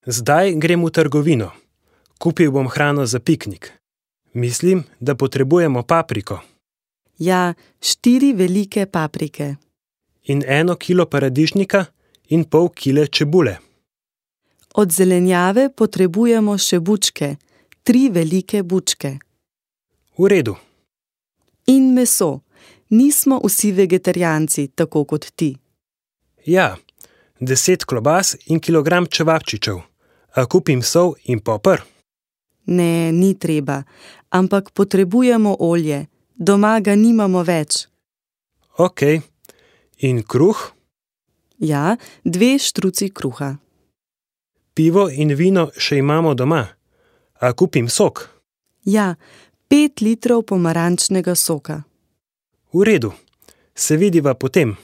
Zdaj grem v trgovino. Kupil bom hrano za piknik. Mislim, da potrebujemo papriko. Ja, 4 velike paprike. In 1 kilo paradižnika in pol kile čebule. Od zelenjave potrebujemo še bučke, 3 velike bučke. V redu. In meso. Nismo vsi vegetarijanci, tako kot ti. Ja, 10 klobas in kilogram čevapčičev. A kupim sol in poper? Ne, ni treba, ampak potrebujemo olje. Doma ga nimamo več. Ok. In kruh? Ja, 2 štruci kruha. Pivo in vino še imamo doma. A kupim sok? Ja, 5 litrov pomarančnega soka. V redu. Se vidiva potem.